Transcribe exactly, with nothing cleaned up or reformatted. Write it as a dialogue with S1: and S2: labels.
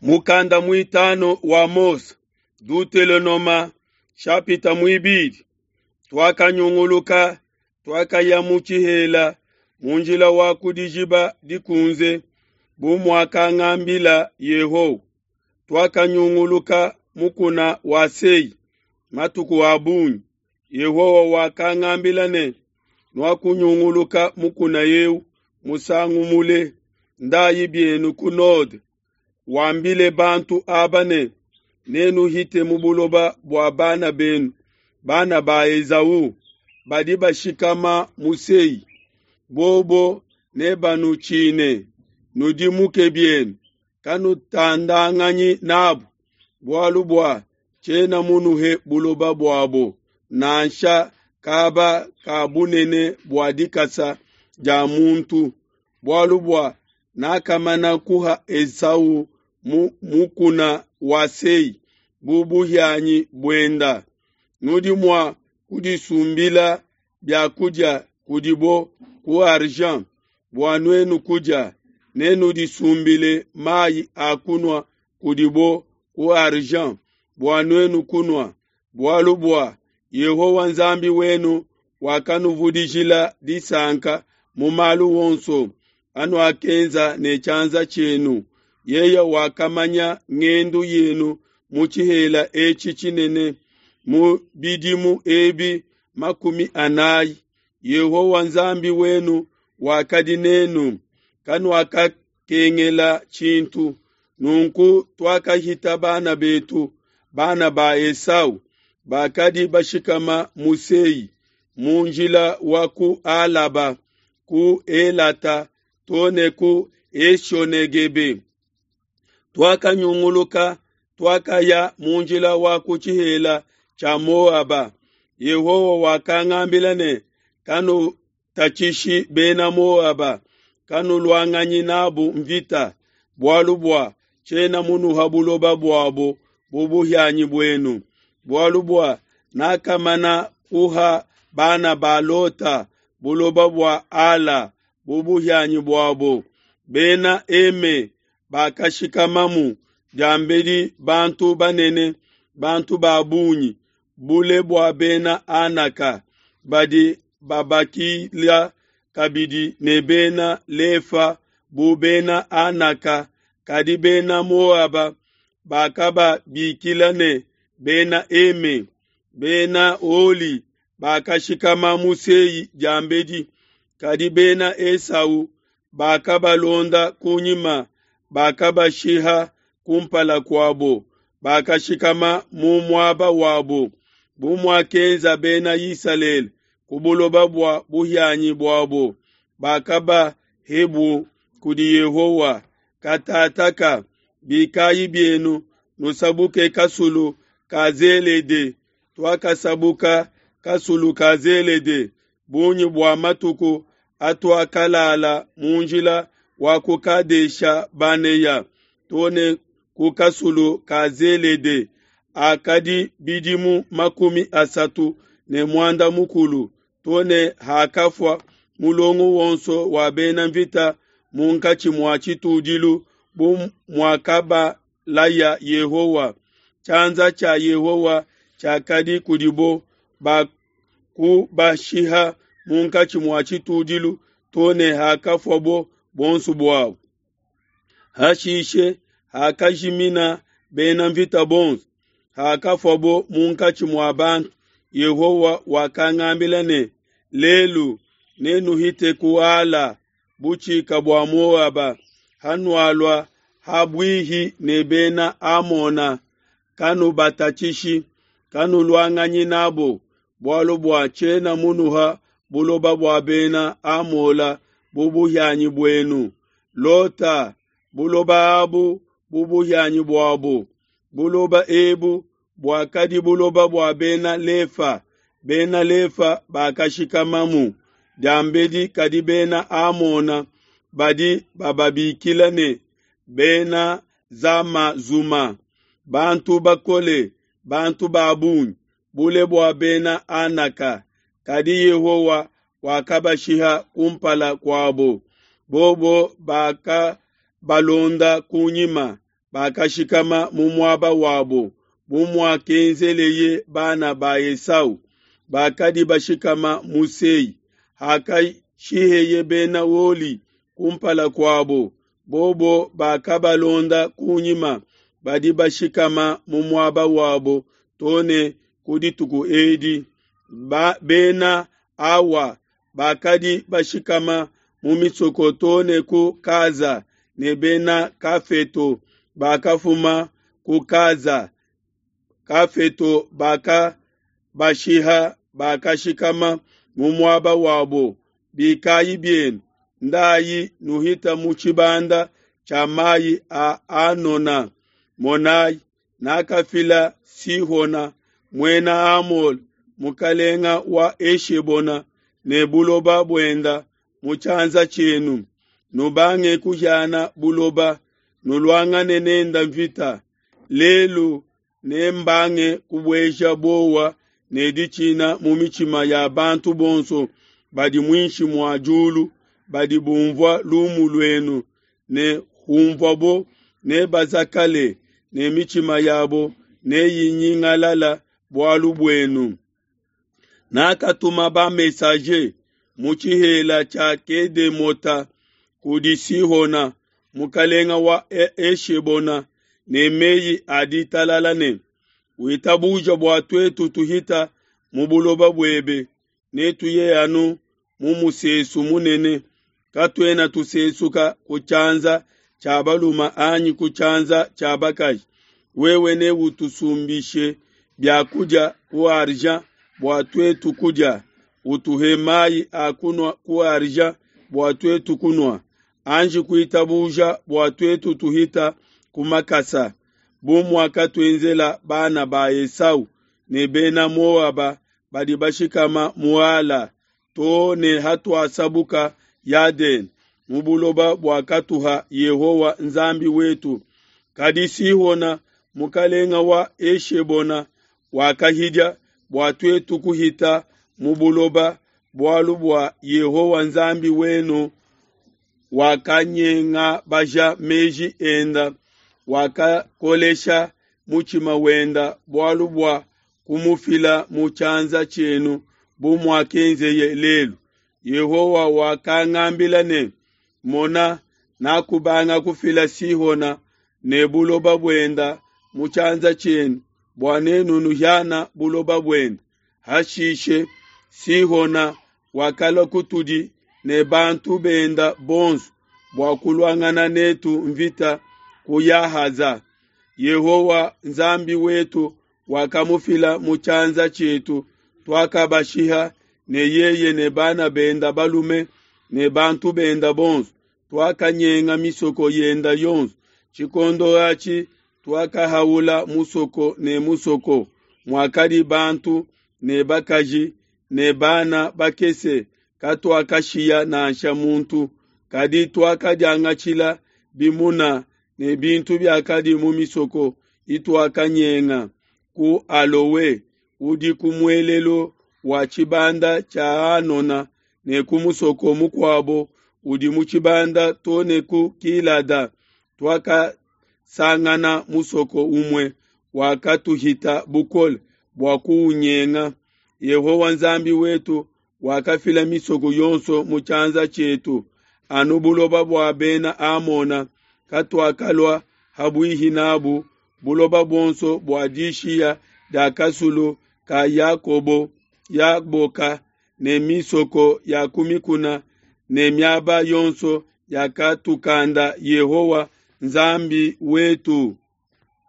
S1: Mukanda muitanu wa Mose, Dutelonoma shapita muibidi. Tuakanyunguluka, tuakaya mu tshihela mu njila wa ku dijiba dikunze, bu muakangambila Yehowa. Tuakanyunguluka mukuna wa Sei matuku a bungi. Yehowa wakangambila ne, nuakunyunguluka mukuna eu musangu mule, ndayi bienu ku node. Wambile bantu aba ne, nenuhite mu buloba bua bana benu, bana ba Esau, badi bashikama mu Sei. Bobo nebanutshine, nudimuke bienu, kanutandanganyi nabo, bualu bua tshiena munuhe buloba buabo, nansha kaba ka bunene bua dikasa dia muntu, bualu bua nakamana kuha Esau mu mukuna wa Sei bu buhianyi buenda. Nudi mua kudisumbila bia kudia kudibo ku argent bua nuenu kudia, nenudisumbile mai a kunua kudibo ku argent bua nuenu kunua, bualu bua Yehowa Nzambi wenu wakanuvudijila disanka mu malu wonso anuakenza ne tshianza tshienu. Yeye wakamanya ngendu yenu mu tshihela etshi tshinene mu bidimu ebi makumi anayi. Yehowa Nzambi wenu wakadi nenu, kanuakakengela tshintu. Nunku tuakahita bana betu, bana ba Esau, bakadi bashikama mu Sei, mu njila wa ku Alaba, ku Elata, to ne ku Eshonegebe. Tuakanyunguluka, tuakaya mu njila wa ku tshihela tshia Moaba. Yehowa wakangambila ne, kanutatshishi bena Moaba, kanuluanganyi nabo mvita, bualu bua tshiena munuha buloba buabo bu buhianyi buenu, bualu bua nakamana kuha bana ba Lota buloba bua Ala bu buhianyi buabo. Bena Eme bakashikamamu diambedi bantu banene, bantu ba bungi, bule bua bena Anaka, badi babakila kabidi ne bena Lefa bu bena Anaka, kadi bena Moaba bakababikila ne bena Eme. Bena Holi bakashikama mu Sei diambedi, kadi bena Esau bakabalonda kunyima, bakabashiha kumpala kuabo, bakashikama mu muaba wabo, bu muakenza bena Isalele ku buloba bua buhianyi buabo, bakabahebu kudi Yehowa. Katataka bikayi bienu, nusabuke kasulu ka Zelede. Tuakasabuka kasulu ka Zelede bungi bua matuku atuakalala mu njila wa ku Kadesha Baneya to ne ku kasulu ka Zelede akadi bidimu makumi asatu ne muanda mukulu, to ne hakafua mulongo wonso wa bena mvita munkatshi mua tshitudilu, bu muakabalaya Yehowa. Tshianza tshia Yehowa tshiakadi kudibo bakubashiha munkatshi mua tshitudilu to ne hakafuabo bonso buabo. Hashishe hakajimina bena mvita bonso, hakafuabo munkatshi mua bantu, Yehowa wakangambila ne, lelu nenuhite ku Ala, butshika bua Moaba, hanualua ha buihi ne bena Amona, kanubatatshishi, kanuluanganyi nabo, bualu bua tshiena munuha buloba bua bena Amola bu buhianyi buenu. Lota buloba abu bu buhianyi buabo. Buloba ebu buakadi buloba bua bena Lefa. Bena Lefa bakashikamamu diambedi, kadi bena Amona badi bababikila ne bena Zamazuma, bantu bakole, bantu ba bungi, bule bua bena Anaka. Kadi Yehowa wakabashiha kumpala kuabo, bobo bakabalonda kunyima. bakashikama mu muaba wabo, bu muakenzeleye bana ba Esau bakadi bashikama mu Sei. Hakashiheye Bena Holi kumpala kuabo, bobo bakabalonda kunyima, badi bashikama mu muaba wabo to ne ku dituku edi. Ba, Bena Awa bakadi bashikama mu misoko to ne ku Kaza, ne Bena Kafeto bakafuma ku Kaza. Kafeto bakabashiha, bakashikama mu muaba wabo. Bikayi bienu, ndayi nuhita mu tshibanda tshia mayi a Anona. Monayi, nakafila Sihona muena Amole, mukalenga wa Eshebona, ne buloba buenda mu tshianza tshienu. Nubange kuhiana buloba, nuluangane nenda mvita. Lelu nembange kubueja bowa ne ditshina mu mitshima ya bantu bonso badi muinshi mua diulu, badi bumvua lumu luenu, ne humvuabo nebazakale, ne mitshima yabo neyinyingalala bualu buenu. Nakatuma ba-messager mu tshihela tshia Kedemota kudi Sihona mukalenga wa Eshebona ne meyi a ditalala ne, witabuja bua tuetu tuhita mu buloba buebe, netuye anu mu musesu munene, katuena tusesuka ku tshianza tshia balume anyi ku tshianza tshia bakaji. Wewe neutusumbishe biakudia ku argent bua tuetu kudia, utuhe mayi a kunua ku argent bua tuetu kunua. Anji kuitabuja bua tuetu tuhita ku makasa, bu muakatuenzela bana ba Esau ne bena Moaba badi bashikama mu Ala, to ne hatuasabuka Yadene mu buloba buakatuha Yehowa Nzambi wetu. Kadi Sihona mukalenga wa Eshebona wakahidia bua tuetu kuhita mu buloba, bualu bua Yehowa Nzambi wenu wakanyengabaja meji enda, wakakolesha mutshima wenda, bualu bua kumufila mu tshianza tshienu bu muakenzeye lelu. Yehowa wakangambila ne, mona, nakubanga kufila Sihona ne buloba buenda mu tshianza tshienu, bua nenu nuhiana buloba buenda. Hashishe Sihona wakalua kutudi ne bantu benda bonso bua kuluangana netu mvita ku Yahaza. Yehowa Nzambi wetu wakamufila mu tshianza tshietu, tuakabashiha ne yeye ne bana benda balume ne bantu benda bonso, tuakanyenga misoko yenda yonso. Tshikondo atshi tuakahaula musoko ne musoko muakadi bantu ne bakaji ne bana bakese, katuakashiya nansha muntu, kadi tuakadiangatshila bimuna ne bintu biakadi mu misoko ituakanyenga ku Alowe udi ku muelelu wa tshibanda tshia Anona, ne ku musoko mukuabo udi mu tshibanda to ne ku Kilada. Tuakasangana musoko umue wakatuhita bukole bua kuunyenga. Yehowa Nzambi wetu wakafila misoko yonso mu tshianza tshietu, anu buloba bua Bena Amona katuakalua habuihi nabu, buloba buonso bua dishiya dia kasulu ka Yakobo Yaboka ne misoko ya ku mikuna ne miaba yonso yakatukanda Yehowa Nzambi wetu.